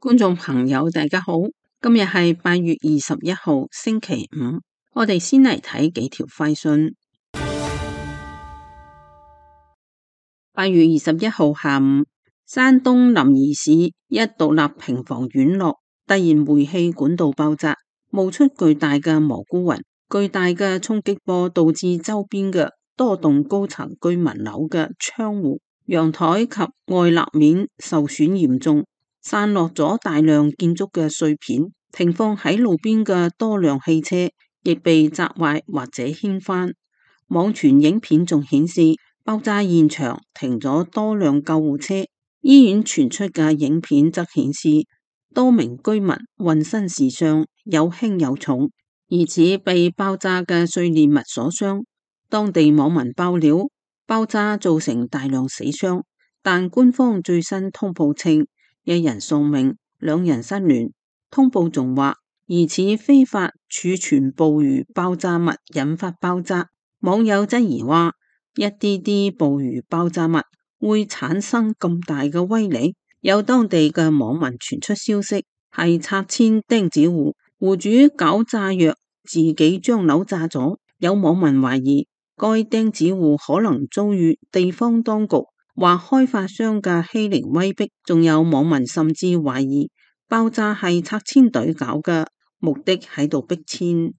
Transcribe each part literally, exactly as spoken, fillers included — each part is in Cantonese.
觀眾朋友，大家好，今日係八月二十一號星期五，我哋先嚟睇幾條快訊。八月二十一號下午，山東臨沂市一獨立平房院落突然煤氣管道爆炸，冒出巨大嘅蘑菇雲，巨大嘅衝擊波導致周邊嘅多棟高層居民樓嘅窗戶、陽台及外立面受損嚴重，散落咗大量建築嘅碎片，停放喺路邊嘅多輛汽車亦被砸壞或者掀翻。網傳影片仲顯示爆炸現場停咗多輛救護車，醫院傳出嘅影片則顯示多名居民渾身是傷，有輕有重，疑似被爆炸嘅碎裂物所傷。當地網民爆料，爆炸造成大量死傷，但官方最新通報稱一人喪命，兩人失聯。通報仲話疑似非法儲存捕魚爆炸物引發爆炸。網友質疑話，一啲啲捕魚爆炸物會產生咁大嘅威力？有當地嘅網民傳出消息，係拆遷釘子戶，戶主搞炸藥，自己將樓炸咗。有網民懷疑該釘子戶可能遭遇地方當局或開發商嘅欺凌威逼，仲有網民甚至懷疑爆炸係拆遷隊搞嘅，目的喺度逼遷。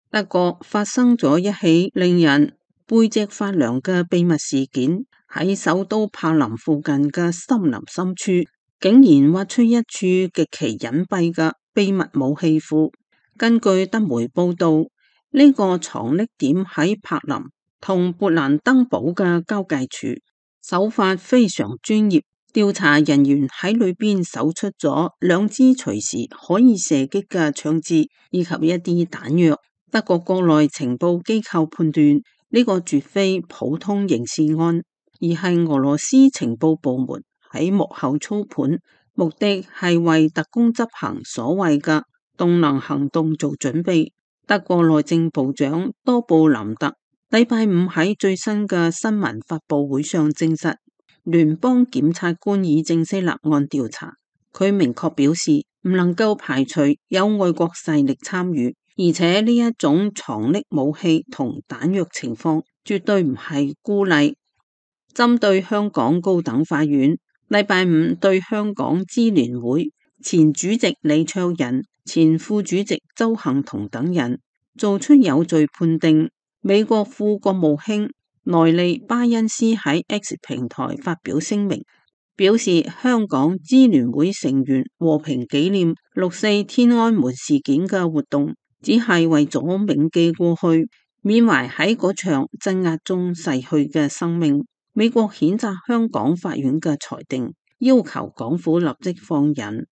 德國發生咗一起令人背脊發涼嘅秘密事件，喺首都柏林附近嘅森林深處，竟然挖出一處極其隱蔽嘅秘密武器庫。根據德媒報道，呢個藏匿點喺柏林同勃蘭登堡嘅交界處，手法非常專業。調查人員喺裏邊搜出咗兩支隨時可以射擊嘅槍支，以及一啲彈藥。德國國內情報機構判斷呢個絕非普通刑事案，而係俄羅斯情報部門喺幕後操盤，目的係為特工執行所謂嘅動能行動做準備。德國內政部長多布林特禮拜五喺最新嘅新聞發佈會上證實，聯邦檢察官已正式立案調查。佢明確表示，唔能夠排除有外國勢力參與，而且呢一種藏匿武器同彈藥情況絕對唔係孤例。針對香港高等法院禮拜五對香港支聯會前主席李卓人、前副主席鄒幸彤等人做出有罪判定，美國副國務卿內利巴恩斯喺 X 平台發表聲明，表示香港支聯會成員和平紀念六四天安門事件嘅活動，只係為咗銘記過去，緬懷喺嗰場鎮壓中逝去嘅生命。美國譴責香港法院嘅裁定，要求港府立即放人。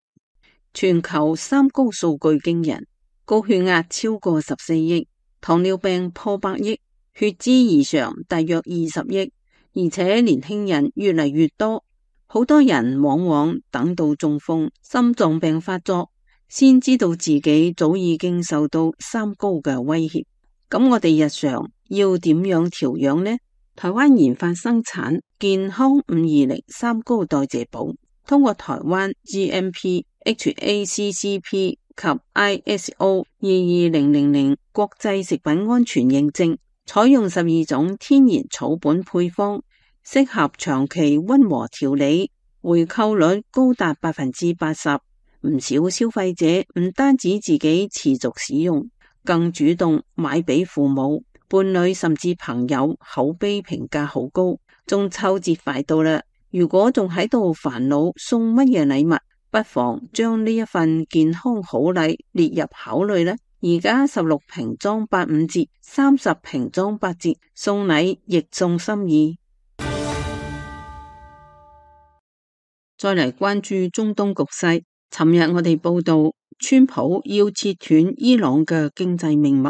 全球三高數據驚人，高血壓超過十四億，糖尿病破百億，血脂異常大約二十億，而且年輕人越嚟越多，好多人往往等到中風、心臟病發作，先知道自己早已經受到三高嘅威脅。咁我哋日常要點樣調養呢？台灣研發生產健康五二零三高代謝寶，通過台灣 G M P、H A C C P 及 I S O 二二零零零國際食品安全認證，採用十二種天然草本配方，適合長期溫和調理，回購率高達百分之八十。唔少消費者唔單止自己持續使用，更主動買俾父母、伴侶甚至朋友，口碑評價好高。中秋節快到啦，如果仲喺度煩惱送乜嘢禮物，不妨將呢一份健康好禮列入考慮啦。而家十六瓶裝八五折，三十瓶裝八折，送禮亦送心意。再嚟關注中東局勢，尋日我哋報道，川普要切斷伊朗嘅經濟命脈，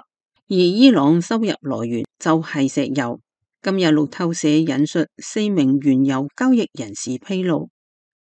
而伊朗收入來源就係石油。今日路透社引述四名原油交易人士披露，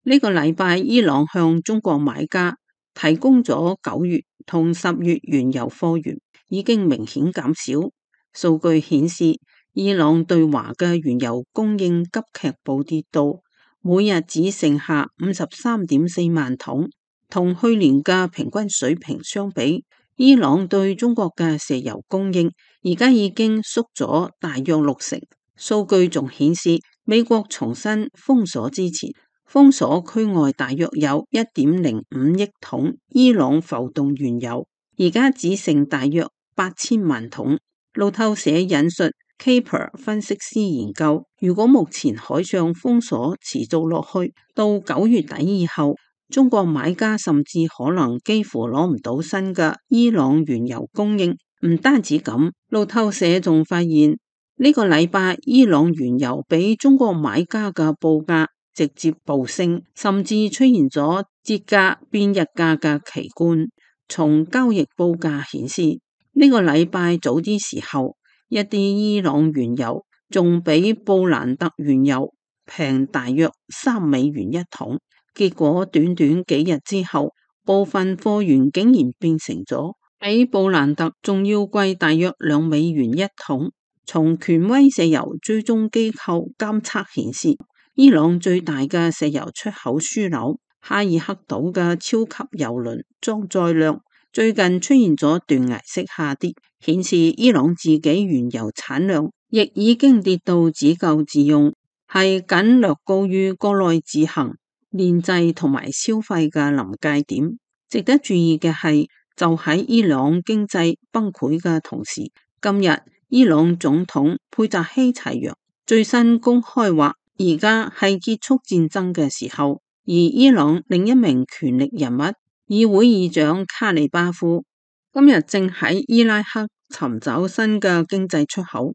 呢個禮拜伊朗向中國買家提供咗九月同十月原油貨源，已經明顯減少。數據顯示，伊朗對華嘅原油供應急劇暴跌到每日只剩下五十三點四萬桶，同去年嘅平均水平相比，伊朗對中國嘅石油供應而家已經縮咗大約六成。數據仲顯示，美國重新封鎖之前，封鎖區外大約有一點零五億桶伊朗浮動原油，而家只剩大約八千萬桶。路透社引述 Caper 分析師研究，如果目前海上封鎖持續落去，到九月底以後，中國買家甚至可能幾乎攞唔到新嘅伊朗原油供應。唔單止咁，路透社仲發現呢個禮拜伊朗原油比中國買家嘅報價直接暴升，甚至出現咗折價變日價嘅奇觀。從交易報價顯示，呢個禮拜早啲時候，一啲伊朗原油仲比布蘭特原油平大約三美元一桶，結果短短幾日之後，部分貨源竟然變成咗比布蘭特仲要貴大約兩美元一桶。從權威石油追蹤機構監測顯示，伊朗最大嘅石油出口樞紐哈爾克島嘅超級油輪裝載量最近出現咗斷崖式下跌，顯示伊朗自己原油產量亦已經跌到只夠自用，係僅略高於國內自行煉製同埋消費嘅臨界點。值得注意嘅係，就喺伊朗經濟崩潰嘅同時，今日伊朗總統佩扎希齊揚最新公開話，而家係結束戰爭嘅時候。而伊朗另一名權力人物議會議長卡里巴夫今日正喺伊拉克尋找新嘅經濟出口。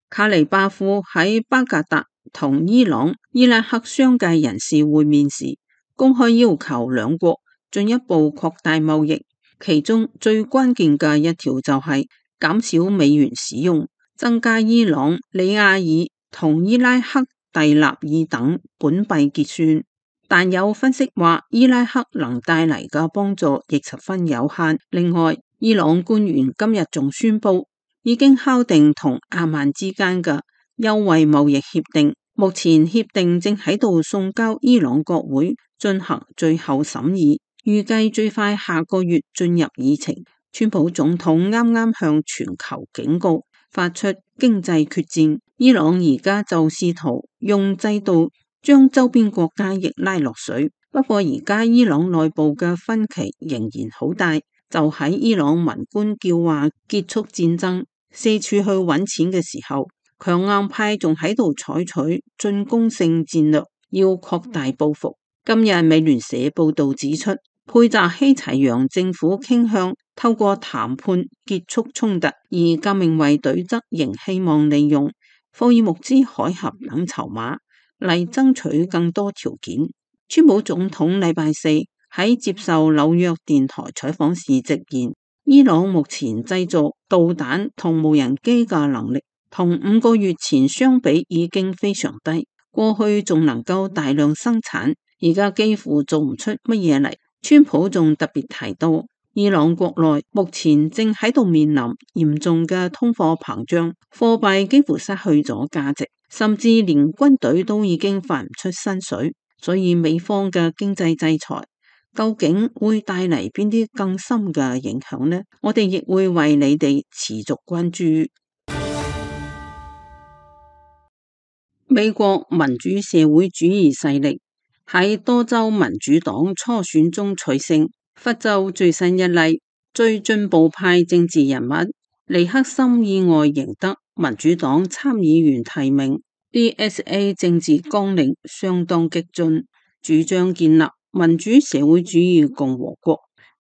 卡里巴夫喺巴格達同伊朗、伊拉克商界人士會面時，公開要求兩國進一步擴大貿易，其中最關鍵嘅一條就係減少美元使用，增加伊朗、里亞爾同伊拉克蒂納爾等本幣結算。但有分析話，伊拉克能帶嚟嘅幫助亦十分有限。另外，伊朗官員今日仲宣布，已經敲定同阿曼之間嘅優惠貿易協定，目前協定正喺度送交伊朗國會進行最後審議，預計最快下個月進入議程。川普總統啱啱向全球警告，發出經濟決戰，伊朗而家就試圖用制度將周邊國家亦拉落水。不過而家伊朗內部嘅分歧仍然好大，就喺伊朗文官叫話結束戰爭，四處去揾錢嘅時候，強硬派仲喺度採取進攻性戰略，要擴大報復。今日美聯社報道指出，佩扎希齊揚政府傾向透過談判結束衝突，而革命衛隊則仍希望利用霍爾木茲海峽等籌碼嚟爭取更多條件。川普總統禮拜四喺接受紐約電台採訪時直言，伊朗目前製造導彈同無人機嘅能力同五個月前相比已經非常低，過去仲能夠大量生產，而家幾乎做唔出乜嘢嚟。川普仲特別提到，伊朗國內目前正喺度面臨嚴重嘅通貨膨脹，貨幣幾乎失去咗價值，甚至連軍隊都已經發唔出薪水。所以美方嘅經濟制裁究竟會帶嚟邊啲更深嘅影響呢？我哋亦會為你哋持續關注。美國民主社會主義勢力喺多州民主黨初選中取勝。佛州最新一例，最進步派政治人物尼克森意外贏得民主黨參議員提名。D S A 政治綱領相當激進，主張建立民主社會主義共和國，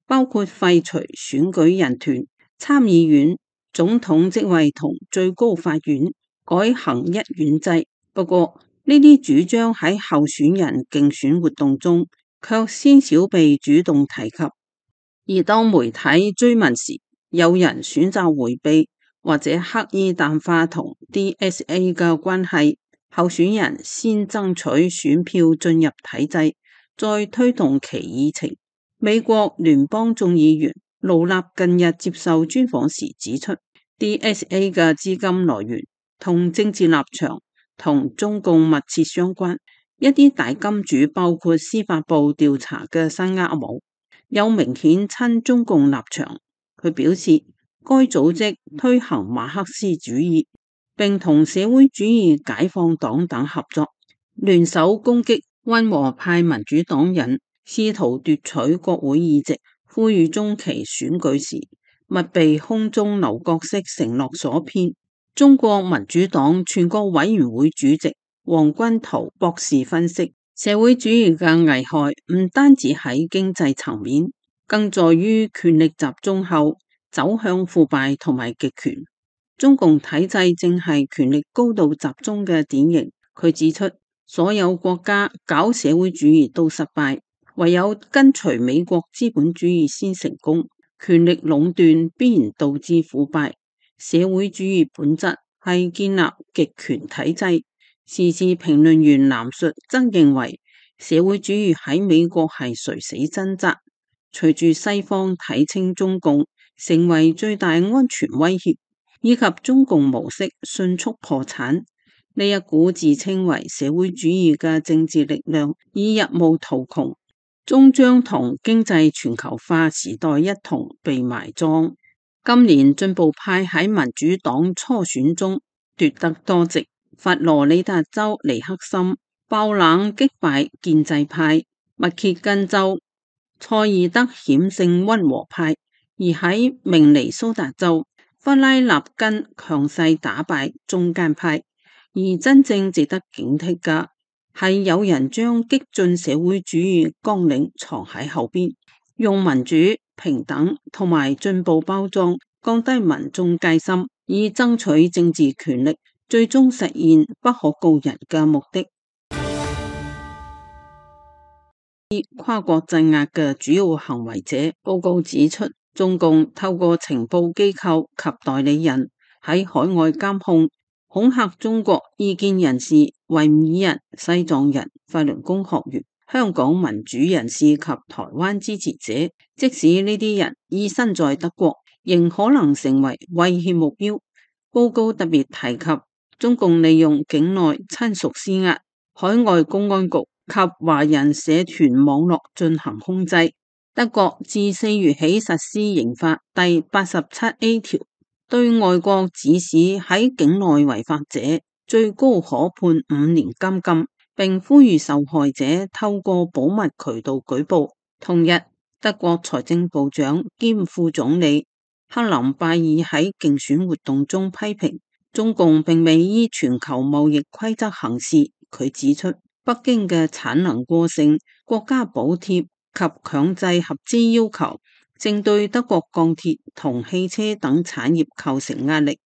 包括廢除選舉人團、參議院、總統職位同最高法院，改行一院制。不過呢啲主張喺候選人競選活動中卻鮮少被主動提及，而當媒體追問時，有人選擇迴避或者刻意淡化同 D S A 嘅關係。候選人先爭取選票進入體制，再推動其議程。美國聯邦眾議員盧納近日接受專訪時指出， D S A 嘅資金來源同政治立場同中共密切相關，一啲大金主包括司法部調查嘅新厄姆有明顯親中共立場。佢表示，該組織推行馬克思主義，並同社會主義解放黨等合作，聯手攻擊溫和派民主黨人，試圖奪取國會議席。呼籲中期選舉時勿被空中樓閣式承諾所騙。中國民主黨全國委員會主席黃軍濤博士分析，社會主義嘅危害唔單止喺經濟層面，更在於權力集中後走向腐敗同埋極權。中共體制正係權力高度集中嘅典型。佢指出，所有國家搞社會主義都失敗，唯有跟隨美國資本主義先成功。權力壟斷必然導致腐敗。社會主義本質係建立極權體制。時事評論員藍述則認為，社會主義喺美國係垂死掙扎。隨住西方睇清中共成為最大安全威脅，以及中共模式迅速破產，呢一股自稱為社會主義嘅政治力量已入無途窮，終將同經濟全球化時代一同被埋葬。今年進步派喺民主黨初選中奪得多席，佛羅里達州尼克森爆冷擊敗建制派，密歇根州塞爾德險勝溫和派，而喺明尼蘇達州弗拉納根強勢打敗中間派。而真正值得警惕嘅係有人將激進社會主義綱領藏喺後邊，用民主、平等同埋進步包裝，降低民眾戒心，以爭取政治權力，最終實現不可告人嘅目的。跨國鎮壓嘅主要行為者報告指出，中共透過情報機構及代理人喺海外監控、恐嚇中國異見人士、維吾爾人、西藏人、法輪功學員、香港民主人士及台灣支持者。即使呢啲人已身在德國，仍可能成為威脅目標。報告特別提及，中共利用境內親屬施壓、海外公安局及華人社團網絡進行控制。德國自四月起實施刑法第八十七 A 條，對外國指使喺境內違法者，最高可判五年監禁，並呼籲受害者透過保密渠道舉報。同日，德國財政部長兼副總理克林拜爾喺競選活動中批評中共並未依全球貿易規則行事。佢指出，北京嘅產能過剩、國家補貼及強制合資要求，正對德國鋼鐵同汽車等產業構成壓力。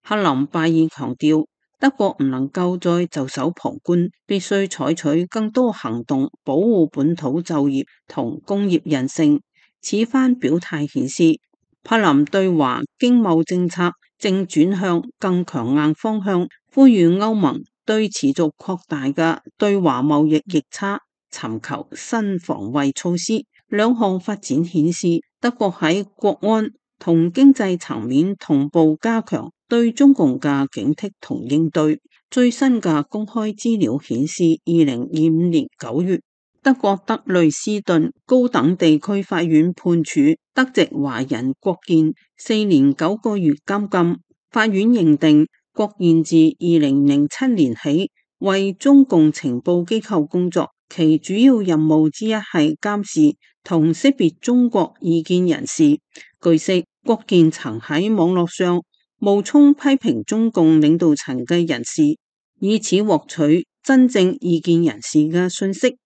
克林拜爾強調，德國唔能夠再袖手旁觀，必須採取更多行動保護本土就業同工業韌性。此番表態顯示，柏林對華經貿政策正轉向更強硬方向，呼籲歐盟對持續擴大嘅對華貿易逆差尋求新防衛措施。兩項發展顯示，德國喺國安同經濟層面同步加強對中共嘅警惕同應對。最新嘅公開資料顯示，二零二五年九月，德國德累斯頓高等地區法院判處德籍華人郭健四年九個月監禁。法院認定郭健自二零零七年起為中共情報機構工作，其主要任務之一係監視同識別中國異見人士。據悉，郭健曾喺網絡上冒充批評中共領導層嘅人士，以此獲取真正異見人士嘅信息。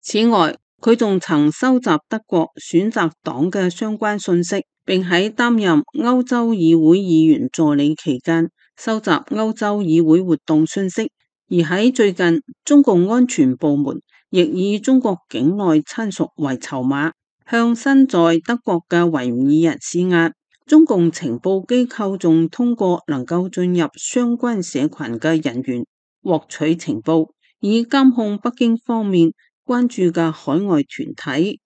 此外，佢仲曾收集德國選擇黨嘅相關信息，並喺擔任歐洲議會議員助理期間收集歐洲議會活動信息。而喺最近，中共安全部門亦以中國境內親屬為籌碼，向身在德國嘅維吾爾人施壓。中共情報機構仲通過能夠進入相關社群嘅人員獲取情報，以監控北京方面關注嘅海外團體。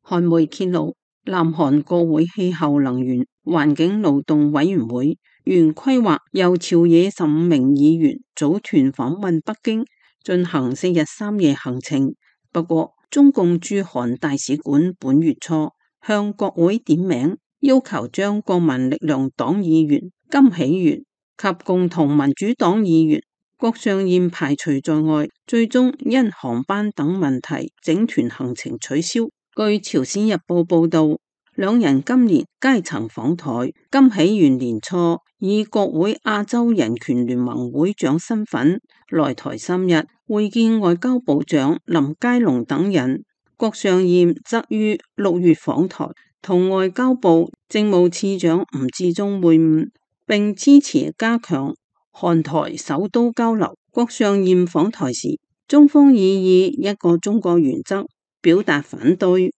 韓媒揭露，南韓國會氣候能源環境勞動委員會原規劃由朝野十五名議員組團訪問北京，進行四日三夜行程。不過，中共駐韓大使館本月初向國會點名，要求將國民力量黨議員金喜元及共同民主黨議員郭尚彥排除在外，最終因航班等問題整團行程取消。據朝鮮日報報道，兩人今年皆曾訪台。金喜元年初以國會亞洲人權聯盟會長身份來台三日，會見外交部長林佳龍等人。郭尚彥則於六月訪台，同外交部政務次長吳志忠會晤，並支持加強韓台首都交流。郭尚彥訪台時，中方已以一個中國原則表達反對。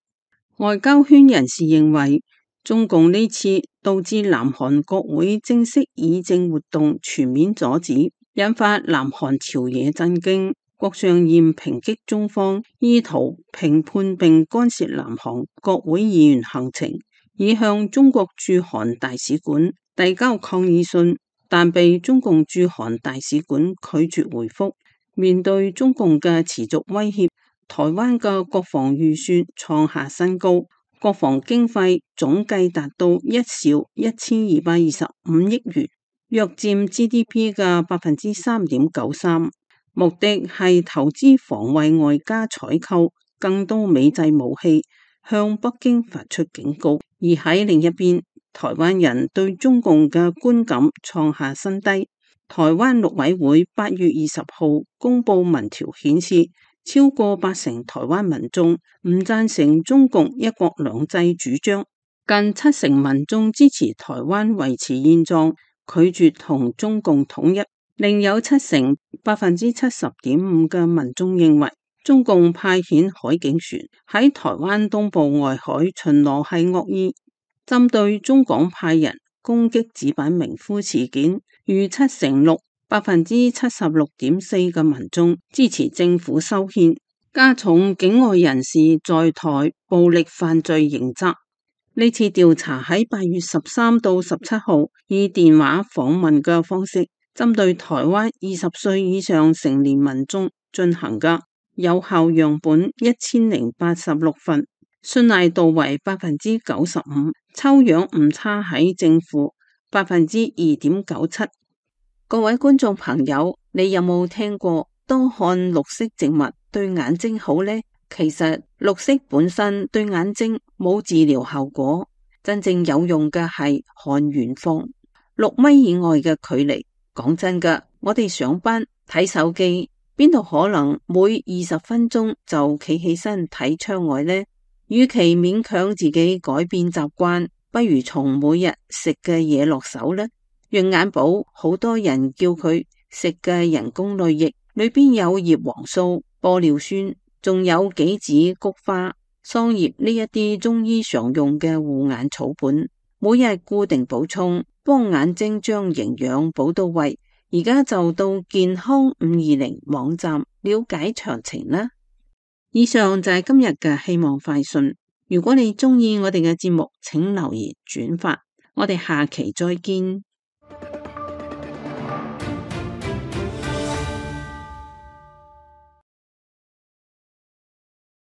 外交圈人士認為，中共呢次導致南韓國會正式議政活動全面阻止，引發南韓朝野震驚。郭尚彥抨擊中方意圖評判並干涉南韓國會議員行程，已向中國駐韓大使館遞交抗議信，但被中共駐韓大使館拒絕回覆。面對中共嘅持續威脅，台灣嘅國防預算創下新高，國防經費總計達到一兆一千二百二十五億元，約佔 G D P 嘅百分之三點九三。目的係投資防衛，外加採購更多美製武器，向北京發出警告。而喺另一邊，台灣人對中共嘅觀感創下新低。台灣陸委會八月二十號公布民調顯示，超過八成台灣民眾唔贊成中共一國兩制主張，近七成民眾支持台灣維持現狀，拒絕同中共統一。另有七成百分之七十點五嘅民眾認為，中共派遣海警船喺台灣東部外海巡邏係惡意。針對中港派人攻擊紙板名夫事件，逾七成六百分之七十六點四嘅民眾支持政府修憲，加重境外人士在台暴力犯罪刑責。呢次調查喺八月十三到十七號以電話訪問嘅方式，針對台灣二十歲以上成年民眾進行嘅，有效樣本一千零八十六份，信賴度為百分之九十五，抽樣誤差喺正負百分之二點九七。各位觀眾朋友，你有冇聽過多看綠色植物對眼睛好呢？其實綠色本身對眼睛冇治療效果，真正有用嘅係看遠方，六米以外嘅距離。講真㗎，我哋上班睇手機，邊度可能每二十分鐘就企起身睇窗外呢？與其勉強自己改變習慣，不如從每日食嘅嘢落手呢。潤眼寶好多人叫佢食嘅人工淚液，裏邊有葉黃素、玻尿酸，仲有杞子、菊花、桑葉呢一啲中醫常用嘅護眼草本，每日固定補充，幫眼睛將營養補到位。而家就到健康五二零網站了解詳情啦。以上就係今日嘅希望快訊。如果你中意我哋嘅節目，請留言轉發。我哋下期再見。